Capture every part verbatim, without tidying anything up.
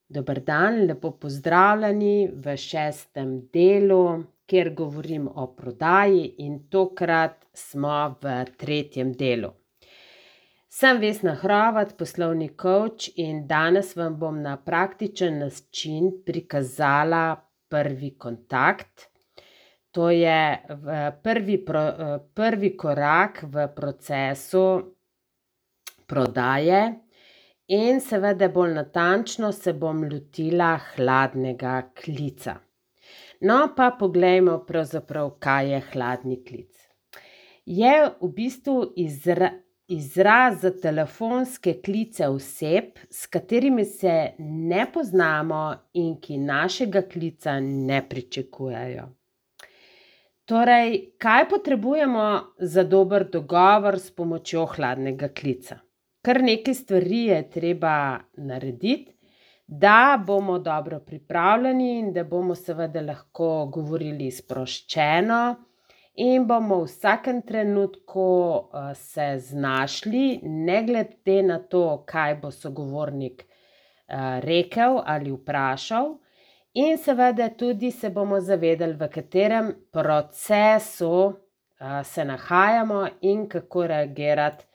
Dober dan, lepo pozdravljeni v šestem delu, kjer govorim o prodaji in tokrat smo v tretjem delu. Sem Vesna Hrovat, poslovni coach in danes vam bom na praktičen način prikazala prvi kontakt. To je prvi, prvi korak v procesu prodaje. In seveda bolj natančno se bom lotila hladnega klica. No, pa poglejmo pravzaprav, kaj je hladni klic. Je v bistvu izra, izraz za telefonske klice oseb, s katerimi se ne poznamo in ki našega klica ne pričakujejo. Torej, kaj potrebujemo za dober dogovor s pomočjo hladnega klica? Kar nekaj stvari je treba narediti, da bomo dobro pripravljeni in da bomo seveda lahko govorili sproščeno in bomo v vsakem trenutku se znašli, ne glede na to, kaj bo sogovornik rekel ali vprašal, in seveda tudi se bomo zavedali, v katerem procesu se nahajamo in kako reagirati,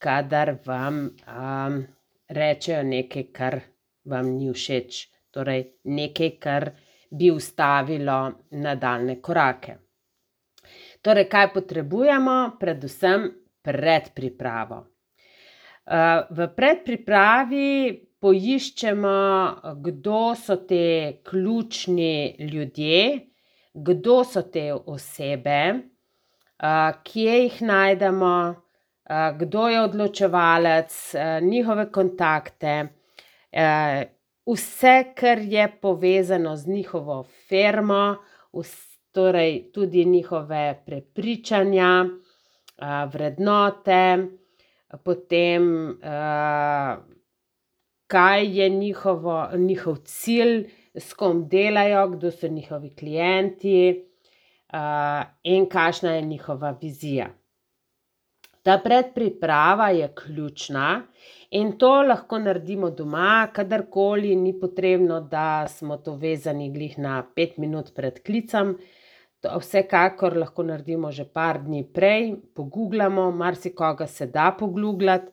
kadar vam um, rečejo nekaj, kar vam ni všeč, torej nekaj, kar bi ustavilo nadaljnje korake. Torej, kaj potrebujemo? Predvsem predpripravo. Uh, v predpripravi poiščemo, kdo so te ključni ljudje, kdo so te osebe, uh, kje jih najdemo, kdo je odločevalec, njihove kontakte, vse, kar je povezano z njihovo firmo, torej tudi njihove prepričanja, vrednote, potem kaj je njihovo, njihov cilj, s kom delajo, kdo so njihovi klienti in kakšna je njihova vizija. Ta predpriprava je ključna in to lahko naredimo doma, kadarkoli, ni potrebno, da smo to vezani glih na pet minut pred klicem. To vsekakor lahko naredimo že par dni prej, pogooglamo, marsikoga se da pogooglati.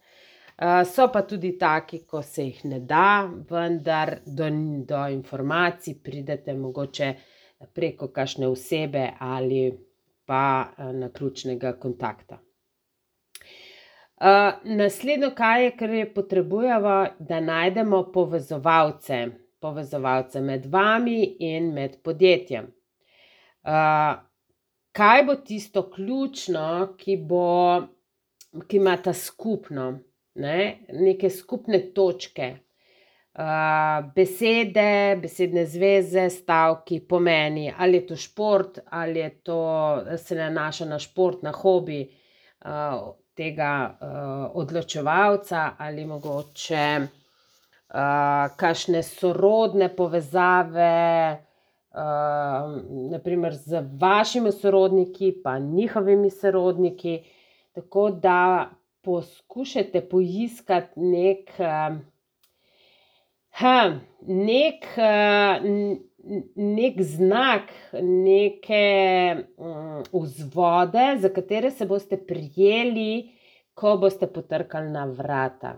So pa tudi taki, ko se jih ne da, vendar do, do informacij pridete mogoče preko kakšne osebe ali pa naključnega kontakta. Uh, naslednjo, kaj je, kar je potrebujemo, da najdemo povezovalce, povezovalce med vami in med podjetjem. Uh, kaj bo tisto ključno, ki bo, ki imata skupno, ne? Neke skupne točke, uh, besede, besedne zveze, stavki, pomeni, ali je to šport, ali je to, se nanaša na šport, na hobi, uh, tega uh, odločevalca ali mogoče uh, kakšne sorodne povezave, uh, naprimer z vašimi sorodniki pa njihovimi sorodniki, tako da poskušajte poiskati nek, uh, ha, nek, uh, nek znak, neke um, vzvode, za katere se boste prijeli, ko boste potrkali na vrata.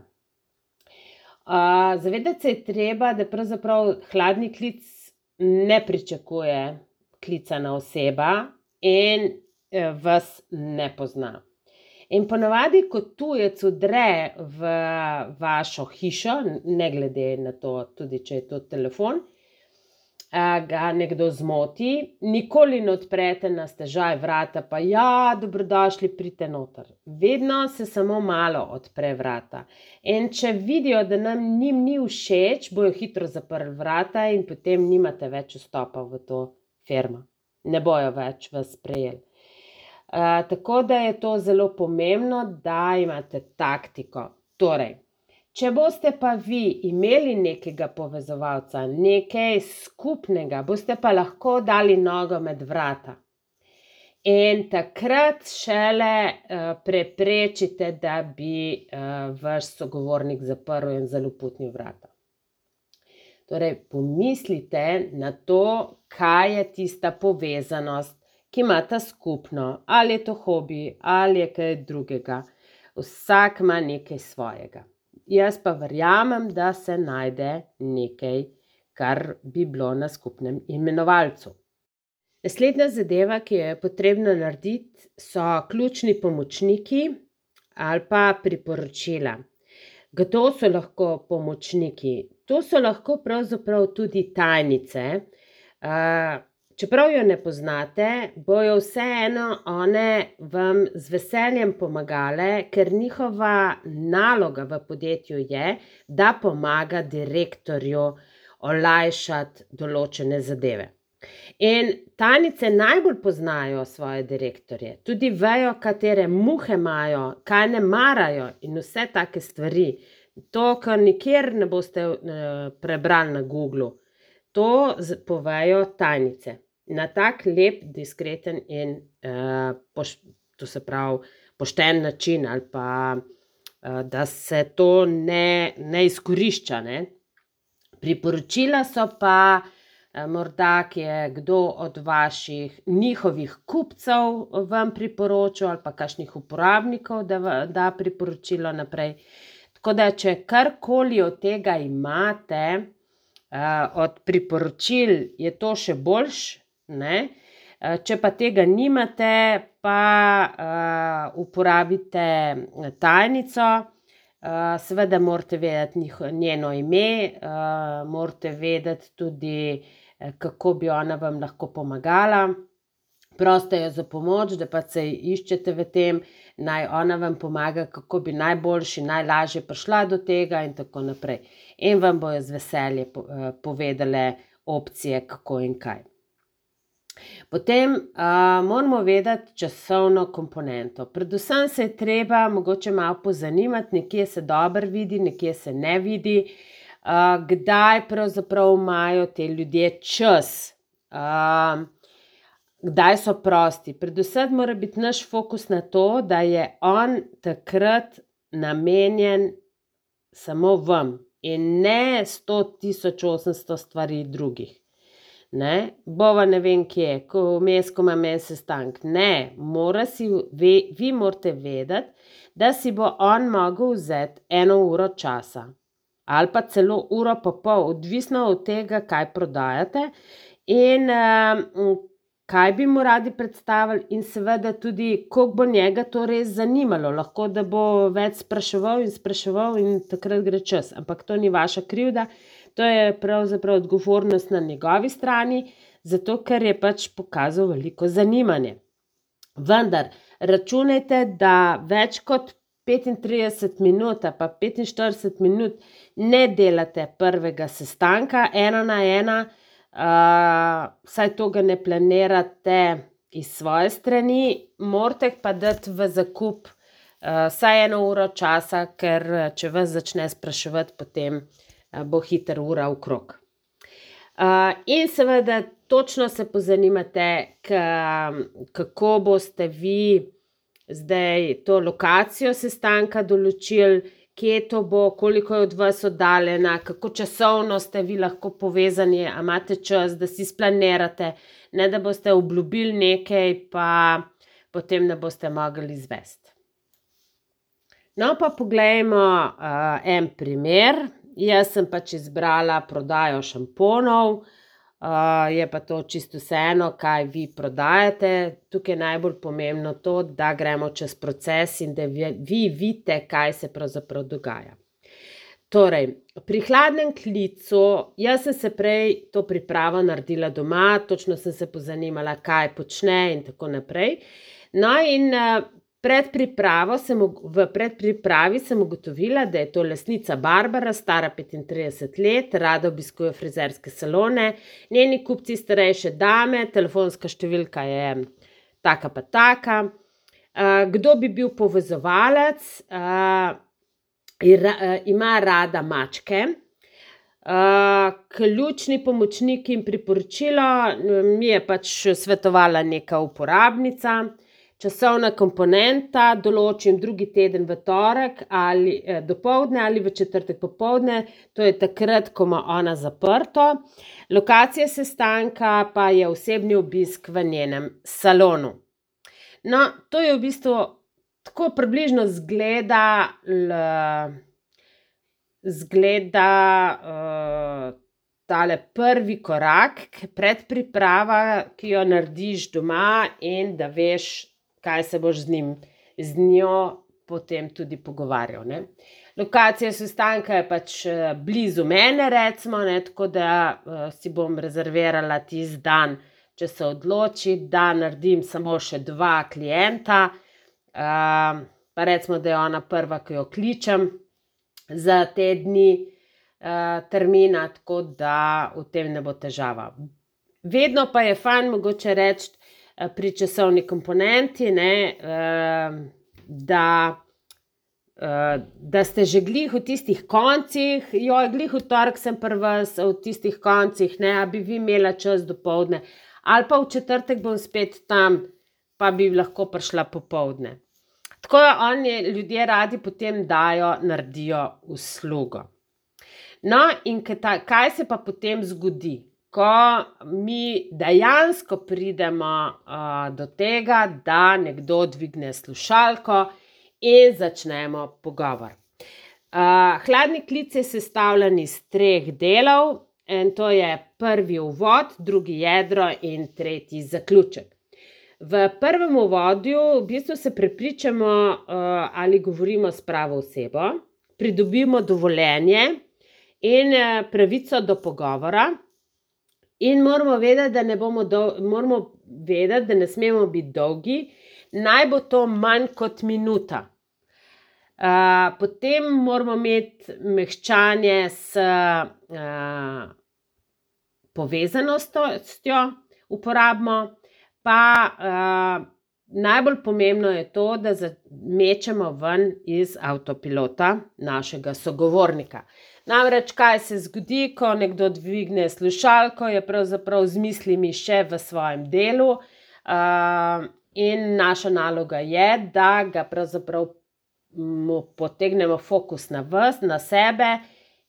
Uh, zavedati se je treba, da pravzaprav hladni klic ne pričakuje klicana oseba in uh, vas ne pozna. In ponavadi, ko tujec vdre v vašo hišo, ne glede na to, tudi če je to telefon, ga nekdo zmoti, nikoli ne odprete na stežaj vrata, pa ja, dobrodošli, pridite noter. Vedno se samo malo odpre vrata. In če vidijo, da nam njim ni všeč, bojo hitro zaprli vrata in potem nimate več vstopa v to firmo. Ne bojo več vas sprejeli. Uh, tako da je to zelo pomembno, da imate taktiko. Torej, če boste pa vi imeli nekega povezovalca, nekaj skupnega, boste pa lahko dali nogo med vrata. In takrat šele uh, preprečite, da bi uh, vaš sogovornik zaprl in zaloputnil vrata. Torej, pomislite na to, kaj je tista povezanost, ki imata skupno, ali je to hobi, ali je kaj drugega. Vsak ima nekaj svojega. Jaz pa verjamem, da se najde nekaj, kar bi bilo na skupnem imenovalcu. Naslednja zadeva, ki jo je potrebno narediti, so ključni pomočniki ali pa priporočila. Kdo so lahko pomočniki? To so lahko pravzaprav tudi tajnice. Čeprav jo ne poznate, bojo vseeno one vam z veseljem pomagale, ker njihova naloga v podjetju je, da pomaga direktorju olajšati določene zadeve. In tajnice najbolj poznajo svoje direktorje, tudi vejo, katere muhe imajo, kaj ne marajo in vse take stvari. To, kar nikjer ne boste prebrali na Googlu, to povejo tajnice. Na tak lep, diskreten in to se pravi pošten način ali pa da se to ne, ne izkorišča, ne. Priporočila so pa morda, ki je kdo od vaših njihovih kupcev vam priporočil ali pa kakšnih uporabnikov, da da priporočilo naprej. Tako da, če karkoli od tega imate, od priporočil, je to še boljše, ne. Če pa tega nimate, pa uporabite tajnico. Seveda morate vedeti njeno ime, morate vedeti tudi, kako bi ona vam lahko pomagala. Prosite jo za pomoč, da pač se iščete v tem, naj ona vam pomaga, kako bi najboljše, najlažje prišla do tega in tako naprej. In vam bojo z veseljem povedale opcije, kako in kaj. Potem moramo vedeti časovno komponento. Predvsem se je treba mogoče malo pozanimati, nekje se dobro vidi, nekje se ne vidi, kdaj pravzaprav imajo ti ljudje čas, kdaj so prosti. Predvsem mora biti naš fokus na to, da je on takrat namenjen samo vam in ne sto tisoč osemsto stvari drugih. Ne, bova ne vem kje, ko vmes, ko imam en sestanek. Ne, mora si, vi morate vedeti, da si bo on mogel vzeti eno uro časa. Ali pa celo uro pa pol, odvisno od tega, kaj prodajate in kaj bi mu radi predstavili in seveda tudi, koliko bo njega to res zanimalo. Lahko, da bo več spraševal in spraševal in takrat gre čas, ampak to ni vaša krivda. To je pravzaprav odgovornost na njegovi strani, zato ker je pač pokazal veliko zanimanje. Vendar računajte, da več kot petintrideset minut ali pa petinštirideset minut ne delate prvega sestanka ena na ena, vsaj to ga ne planirate iz svoje strani, morate pa dati v zakup vsaj eno uro časa, ker če vas začne spraševati, potem bo hitro ura okrog. In seveda točno se pozanimate, kako boste vi zdaj to lokacijo sestanka določili, kje to bo, koliko je od vas oddaljena, kako časovno ste vi lahko povezani, a imate čas, da si splanirate, ne da boste obljubili nekaj, pa potem ne boste mogli izvesti. No, pa poglejmo en primer. Jaz sem pač izbrala prodajo šamponov, je pa to čisto vseeno, kaj vi prodajate. Tukaj je najbolj pomembno to, da gremo čez proces in da vi vidite, kaj se pravzaprav dogaja. Torej, pri hladnem klicu, jaz sem se prej to pripravo naredila doma, točno sem se pozanimala, kaj počne in tako naprej. No, in Pred pripravo sem, v predpripravi sem ugotovila, da je to lastnica Barbara, stara petintrideset let, rada obiskuje frizerske salone, njeni kupci starejše dame, telefonska številka je taka pa taka. Kdo bi bil povezovalec? Ima rada mačke. Ključni pomočnik in priporočilo mi je pač svetovala neka uporabnica. časovna komponenta, določim drugi teden v torek ali eh, dopoldne ali v četrtek popoldne, to je takrat, ko ima ona zaprto. Lokacija sestanka pa je osebni obisk v njenem salonu. No, to je v bistvu tako približno zgleda, l, zgleda uh, tale prvi korak, predpriprava, ki jo narediš doma in da veš, kaj se boš z njim, z njo potem tudi pogovarjal, ne. Lokacija sestanka je pač blizu mene, recimo, ne, tako da uh, si bom rezervirala tisti dan, če se odloči, da naredim samo še dva klienta, uh, pa recimo, da je ona prva, ki jo kličem za te dni uh, termina, tako da v tem ne bo težava. Vedno pa je fajn mogoče reči uh, pri časovni komponenti, ne, uh, da Uh, da ste že glih v tistih koncih, joj, glih v torek sem pri vas, v tistih koncih, ne, a bi vi imela čas dopoldne, ali pa v četrtek bom spet tam, pa bi lahko prišla popoldne. Tako da oni ljudje radi potem dajo, naredijo uslugo. No, in kaj se pa potem zgodi, ko mi dejansko pridemo uh, do tega, da nekdo dvigne slušalko in začnemo pogovor. Uh, hladni klic je sestavljen iz treh delov, in to je prvi uvod, drugi jedro in tretji zaključek. V prvem uvodju v bistvu se prepričamo, uh, ali govorimo s pravo osebo, pridobimo dovoljenje in uh, pravico do pogovora in moramo vedeti, da ne bomo dol- moramo vedeti, da ne smemo biti dolgi, naj bo to manj kot minuta. Uh, potem moramo imeti mehčanje s uh, povezanostjo, uporabimo, pa uh, najbolj pomembno je to, da mečemo ven iz avtopilota našega sogovornika. Namreč, kaj se zgodi, ko nekdo dvigne slušalko, je pravzaprav z mislimi še v svojem delu uh, in naša naloga je, da ga pravzaprav mu potegnemo fokus na vas, na sebe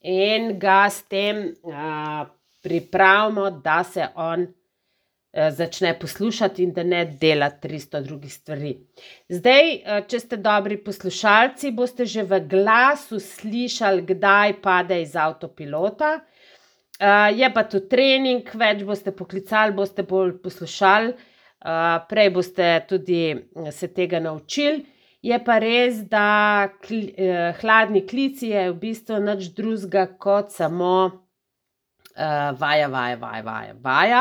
in ga s tem uh, pripravimo, da se on uh, začne poslušati in da ne dela tristo drugih stvari. Zdaj, uh, če ste dobri poslušalci, boste že v glasu slišali, kdaj pade iz avtopilota. Uh, je pa to trening, več boste poklicali, boste bolj poslušali, uh, prej boste tudi se tega naučili. Je pa res, da kli, eh, hladni klic je v bistvu nič drugega kot samo eh, vaja, vaja, vaja, vaja, vaja.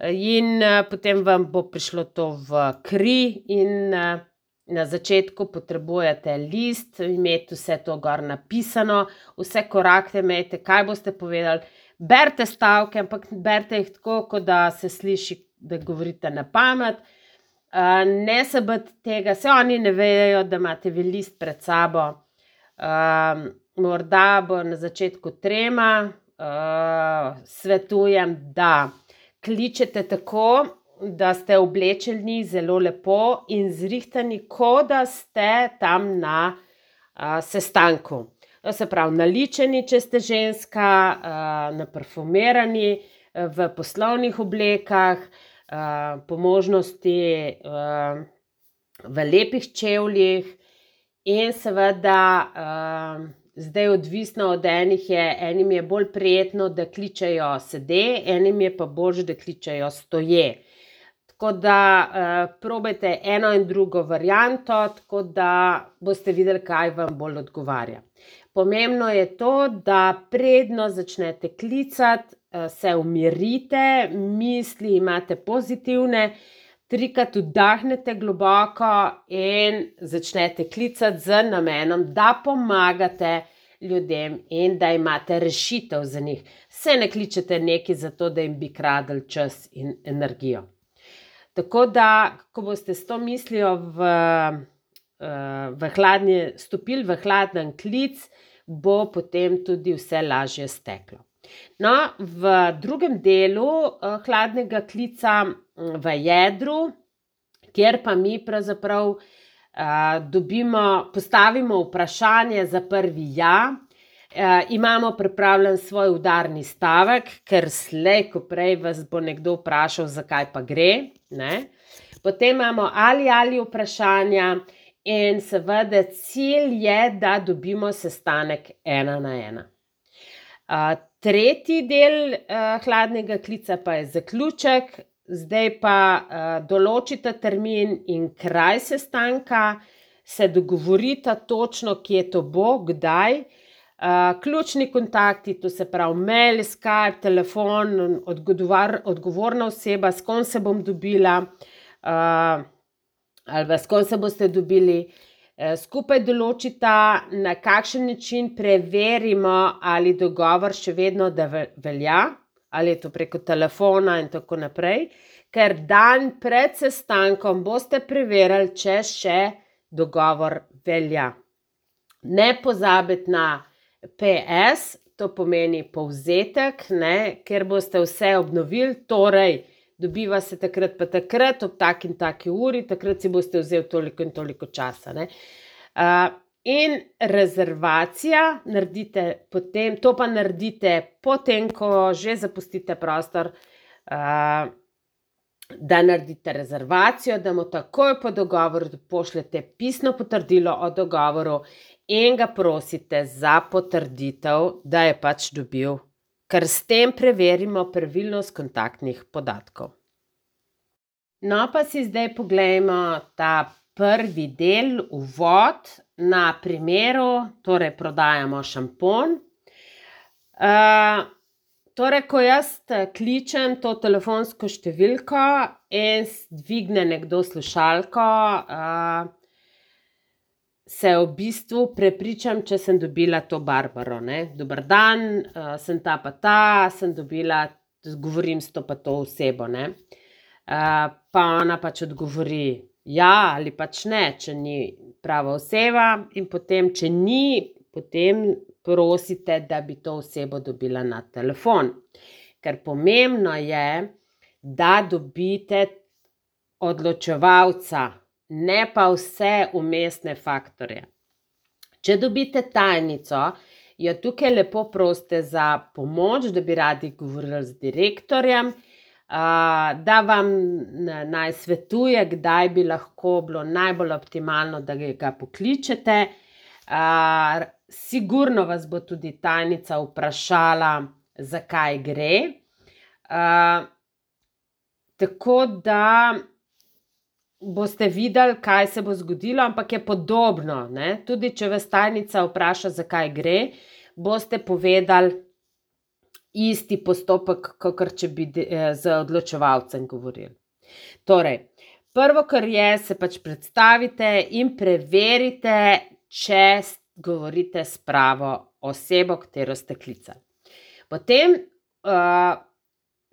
In eh, potem vam bo prišlo to v kri in eh, na začetku potrebujete list, imeti vse to gor napisano, vse korakte imejte, kaj boste povedali. Berite stavke, ampak berite jih tako, kot da se sliši, da govorite na pamet. Uh, ne se bati tega, se oni ne vejo, da imate vi list pred sabo. Uh, morda bo na začetku trema, uh, svetujem, da kličete tako, da ste oblečeni zelo lepo in zrihtani, kot da ste tam na uh, sestanku. To se pravi, naličeni, če ste ženska, uh, naparfumirani, uh, v poslovnih oblekah, Uh, po možnosti uh, v lepih čevljih in seveda uh, zdaj odvisno od enih je, enim je bolj prijetno, da kličejo sede, enim je pa bolj, da kličejo stoje. Tako da uh, probajte eno in drugo varianto, tako da boste videli, kaj vam bolj odgovarja. Pomembno je to, da predno začnete klicati, se umirite, misli imate pozitivne, trikrat vdahnete globoko in začnete klicati z namenom, da pomagate ljudem in da imate rešitev za njih. Se ne kličete nekaj zato, da jim bi kradli čas in energijo. Tako da, ko boste s to mislijo v, v hladni, stopili v hladen klic, bo potem tudi vse lažje steklo. No, v drugem delu uh, hladnega klica v jedru, kjer pa mi pravzaprav uh, dobimo, postavimo vprašanje za prvi ja, uh, imamo pripravljen svoj udarni stavek, ker slej, ko prej vas bo nekdo vprašal, zakaj pa gre, ne? Potem imamo ali ali vprašanja in seveda cilj je, da dobimo sestanek ena na ena. Uh, tretji del uh, hladnega klica pa je zaključek, zdaj pa uh, določite termin in kraj sestanka, se dogovorite točno, kje to bo, kdaj. Uh, ključni kontakti, to se pravi mail, Skype, telefon, odgovar, odgovorna oseba, s kom se bom dobila, uh, ali s kom se boste dobili, uh, skupaj določita, na kakšen način preverimo, ali dogovor še vedno da velja, ali je to preko telefona in tako naprej, ker dan pred sestankom boste preverili, če še dogovor velja. Ne pozabiti na P S, to pomeni povzetek, ne, ker boste vse obnovili, torej dobiva se takrat pa takrat, ob tak in taki uri, takrat si boste vzeli toliko in toliko časa, ne. Uh, in rezervacija naredite potem, to pa naredite potem, ko že zapustite prostor, uh, da naredite rezervacijo, da mu takoj po dogovoru pošljete pisno potrdilo o dogovoru in ga prosite za potrditev, da je pač dobil, ker s tem preverimo pravilnost kontaktnih podatkov. No, pa si zdaj poglejmo ta prvi del, uvod, na primeru, torej prodajamo šampon. Uh, torej, ko jaz kličem to telefonsko številko in dvigne nekdo slušalko, uh, se v bistvu prepričam, če sem dobila to Barbaro, ne. Dober dan, uh, sem ta pa ta, sem dobila, govorim s to pa to osebo, ne. Uh, pa ona pač odgovori ja ali pač ne, če ni prava oseba, in potem, če ni, potem prosite, da bi to osebo dobila na telefon. Ker pomembno je, da dobite odločevalca, ne pa vse vmesne faktorje. Če dobite tajnico, jo tukaj lepo prosite za pomoč, da bi radi govorili z direktorjem, uh, da vam naj svetuje, kdaj bi lahko bilo najbolj optimalno, da ga pokličete. Uh, sigurno vas bo tudi tajnica vprašala, zakaj gre. Uh, tako da boste videli, kaj se bo zgodilo, ampak je podobno, ne? Tudi če vas tajnica vpraša, zakaj gre, boste povedali isti postopek, kakor če bi z odločevalcem govorili. Torej, prvo, kar je, se pač predstavite in preverite, če govorite s pravo osebo, katero ste klicali. Potem uh,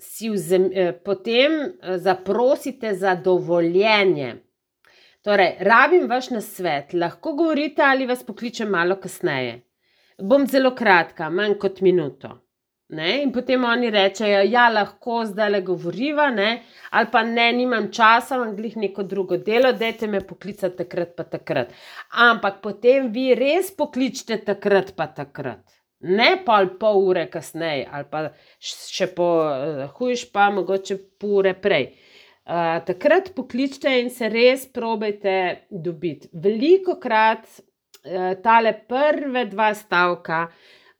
Si vzem, potem zaprosite za dovoljenje. Torej, rabim vaš nasvet, lahko govorite ali vas pokličem malo kasneje. Bom zelo kratka, manj kot minuto. Ne? In potem oni rečejo, ja, lahko zdajle govoriva, ne? Ali pa ne, nimam časa, imam glih neko drugo delo, dajte me poklicati takrat pa takrat. Ampak potem vi res pokličite takrat pa takrat. Ne pa pol ure kasneje, ali pa še po uh, hujš pa mogoče pol ure prej. Uh, takrat pokličite in se res probajte dobiti. Velikokrat uh, tale prve dva stavka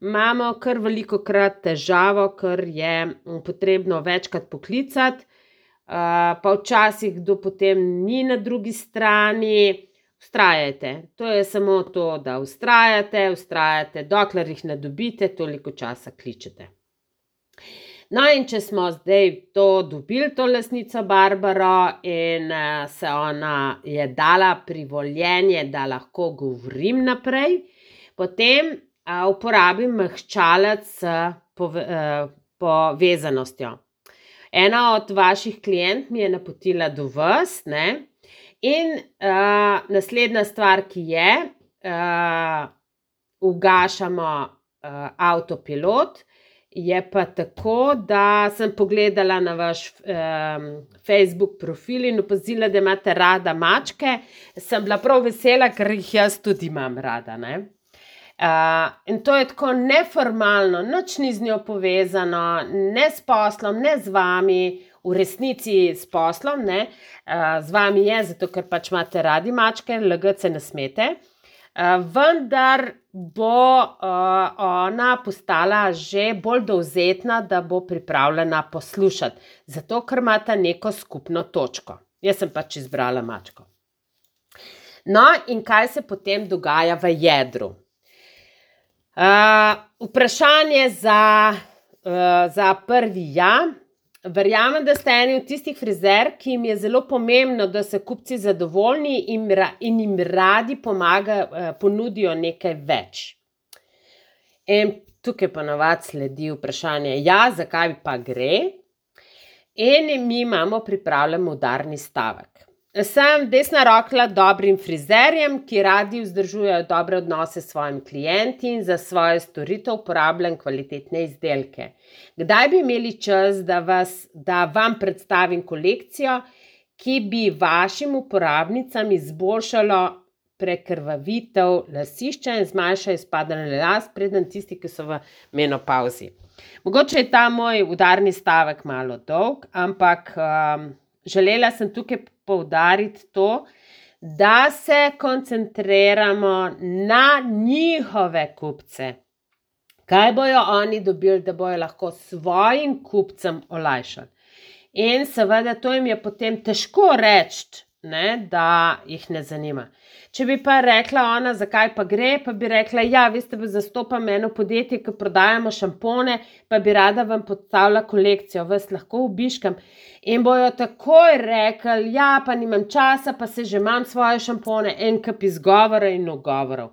imamo kar velikokrat težavo, ker je potrebno večkrat poklicati, uh, pa včasih kdo potem ni na drugi strani. Vztrajajte, to je samo to, da vztrajate, vztrajate, dokler jih ne dobite, toliko časa kličete. No, in če smo zdaj to dobili, to lastnico Barbaro, in uh, se ona je dala privoljenje, da lahko govorim naprej, potem uh, uporabim mehčalec s pove, uh, povezanostjo. Ena od vaših klient mi je napotila do vas, ne? In uh, naslednja stvar, ki je, uh, ugašamo uh, avtopilot je pa tako, da sem pogledala na vaš um, Facebook profil in opazila, da imate rada mačke. Sem bila prav vesela, ker jih jaz tudi imam rada, ne. Uh, in to je tako neformalno, nič ni z njo povezano, ne s poslom, ne z vami, v resnici s poslom, ne. Uh, z vami je, zato ker pač imate radi mačke, lagati se ne smete. Uh, vendar bo uh, ona postala že bolj dovzetna, da bo pripravljena poslušati, zato ker imata neko skupno točko. Jaz sem pač izbrala mačko. No, in kaj se potem dogaja v jedru? Uh, vprašanje za, uh, za prvi ja. Verjamem, da ste eni od tistih frizer, ki jim je zelo pomembno, da so kupci zadovoljni in, in jim radi pomaga, ponudijo nekaj več. In tukaj ponavadi sledi vprašanje, ja, zakaj pa gre? In mi imamo pripravljen udarni stavek. Sem desna roka dobrim frizerjem, ki radi vzdržujejo dobre odnose s svojimi klienti in za svojo storitev uporabljam kvalitetne izdelke. Kdaj bi imeli čas, da, vas, da vam predstavim kolekcijo, ki bi vašim uporabnicam izboljšalo prekrvavitev lasišča in zmanjšalo izpadanje las, preden tisti, ki so v menopavzi. Mogoče je ta moj udarni stavek malo dolg, ampak um, želela sem tukaj poudariti to, da se koncentriramo na njihove kupce. Kaj bojo oni dobili, da bojo lahko svojim kupcem olajšali. In seveda to jim je potem težko reči, ne, da jih ne zanima. Če bi pa rekla ona, zakaj pa gre, pa bi rekla, ja, veste, zastopam eno podjetje, ki prodajamo šampone, pa bi rada vam predstavila kolekcijo, vas lahko obiškam. In bojo takoj rekli, ja, pa nimam časa, pa se že imam svoje šampone, en kup izgovora in ugovorov.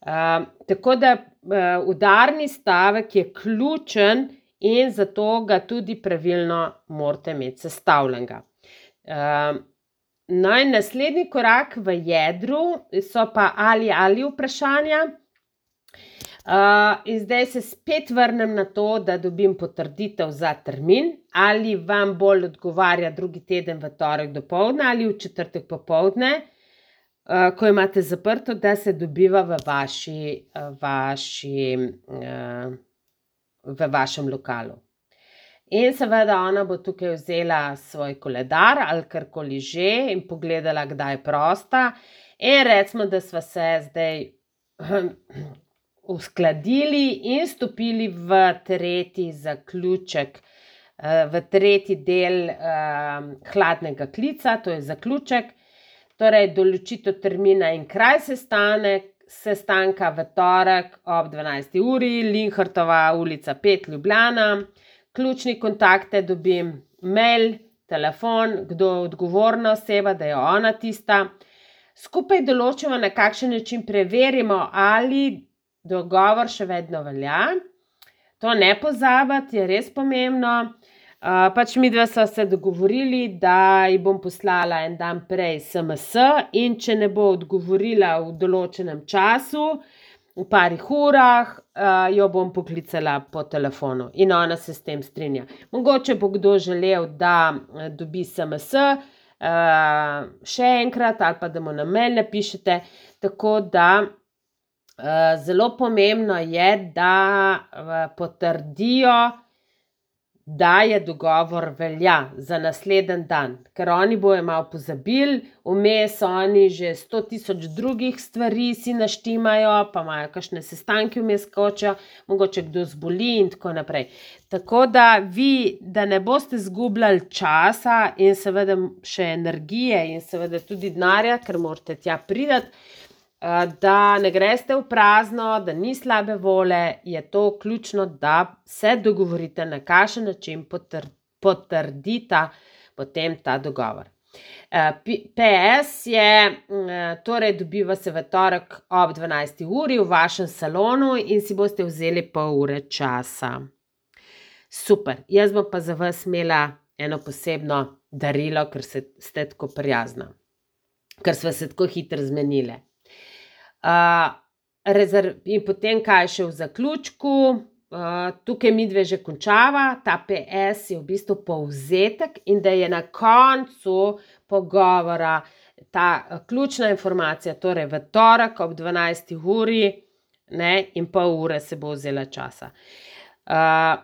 Uh, tako da uh, udarni stavek je ključen in zato ga tudi pravilno morate imeti sestavljenega. Uh, no in naslednji korak v jedru so pa ali ali vprašanja. Uh, in zdaj se spet vrnem na to, da dobim potrditev za termin, ali vam bolj odgovarja drugi teden v torek dopoldne ali v četrtek popoldne. Uh, ko imate zaprto, da se dobiva v, vaši, vaši, uh, v vašem lokalu. In seveda ona bo tukaj vzela svoj koledar ali karkoli že in pogledala, kdaj je prosta. In recimo, da sva se zdaj uskladili in stopili v tretji zaključek, uh, v tretji del uh, hladnega klica, to je zaključek. Torej, določitev termina in kraj sestanek, sestanka v torek ob dvanajsti uri, Linhartova ulica pet, Ljubljana. Ključni kontakte dobim mail, telefon, kdo je odgovorna oseba, da je ona tista. Skupaj določimo, na kakšen način preverimo, ali dogovor še vedno velja. To ne pozabiti, je res pomembno. Uh, pač midva sva se dogovorili, da ji bom poslala en dan prej es em es in če ne bo odgovorila v določenem času, v parih urah, uh, jo bom poklicala po telefonu in ona se s tem strinja. Mogoče bo kdo želel, da dobi es em es uh, še enkrat ali pa da mu na mail napišete, tako da uh, zelo pomembno je, da uh, potrdijo, da je dogovor velja za naslednji dan, ker oni bojo malo pozabili, vmes oni že sto tisoč drugih stvari si naštimajo, pa imajo kakšne sestanke vmes skočijo, mogoče kdo zboli in tako naprej. Tako da vi, da ne boste zgubljali časa in seveda še energije in seveda tudi denarja, ker morate tja priti, da ne greste v prazno, da ni slabe vole, je to ključno, da se dogovorite, na kakšen način potrdita potem ta dogovor. pe es je, torej dobiva se v torek ob dvanajsti uri v vašem salonu in si boste vzeli pol ure časa. Super, jaz bom pa za vas imela eno posebno darilo, ker ste tako prijazna, ker sva se tako hitro zmenile. Uh, rezerv, in potem kaj še v zaključku, uh, tukaj midve že končava, ta P S je v bistvu povzetek in da je na koncu pogovora ta uh, ključna informacija, torej v torek ob dvanajsti uri, ne, in pol ure se bo vzela časa. Uh,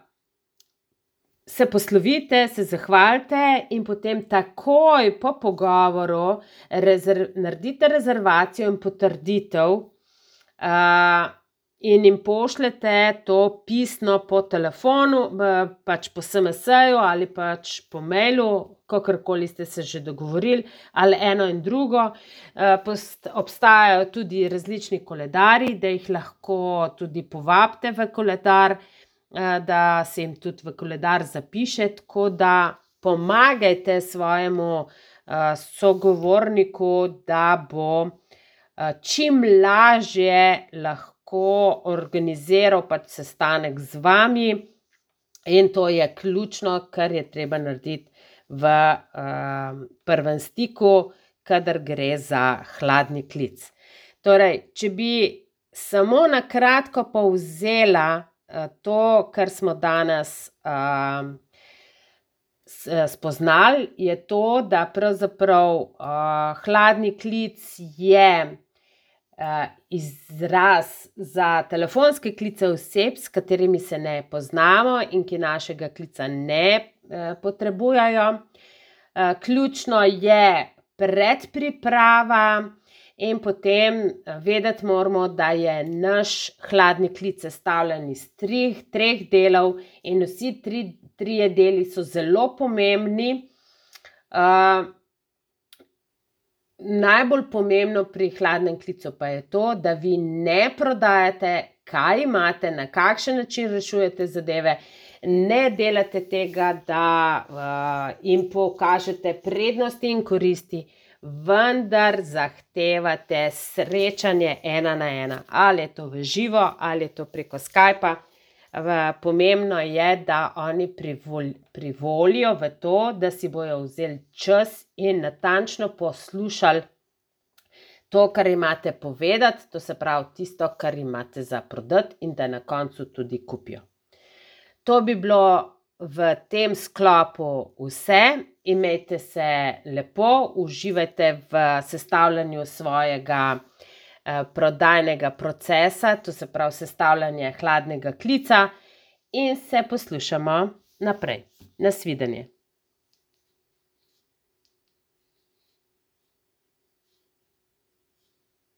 se poslovite, se zahvalite in potem takoj po pogovoru rezerv, naredite rezervacijo in potrditev uh, in jim pošljete to pisno po telefonu, pač po S M S-ju ali pač po mailu, kakorkoli ste se že dogovorili, ali eno in drugo. Obstajajo tudi različni koledarji, da jih lahko tudi povabite v koledar, da se jim tudi v koledar zapiše, tako da pomagajte svojemu sogovorniku, da bo čim lažje lahko organiziral pač sestanek z vami, in to je ključno, kar je treba narediti v uh, prvem stiku, kadar gre za hladni klic. Torej, če bi samo na kratko povzela uh, to, kar smo danes uh, spoznali, je to, da pravzaprav uh, hladni klic je izraz za telefonske klice oseb, s katerimi se ne poznamo in ki našega klica ne potrebujejo. Ključno je predpriprava in potem vedeti moramo, da je naš hladni klic sestavljen iz treh, treh delov in vsi tri, trije deli so zelo pomembni. Uh, Najbolj pomembno pri hladnem klicu pa je to, da vi ne prodajate, kaj imate, na kakšen način rešujete zadeve, ne delate tega, da uh, jim pokažete prednosti in koristi, vendar zahtevate srečanje ena na ena. Ali je to v živo, ali je to preko Skypa. Pomembno je, da oni privol, privolijo v to, da si bojo vzeli čas in natančno poslušali to, kar imate povedati, to se pravi tisto, kar imate za prodati, in da na koncu tudi kupijo. To bi bilo v tem sklopu vse. Imejte se lepo, uživajte v sestavljanju svojega prodajnega procesa, to se pravi sestavljanje hladnega klica, in se poslušamo naprej. Nasvidenje.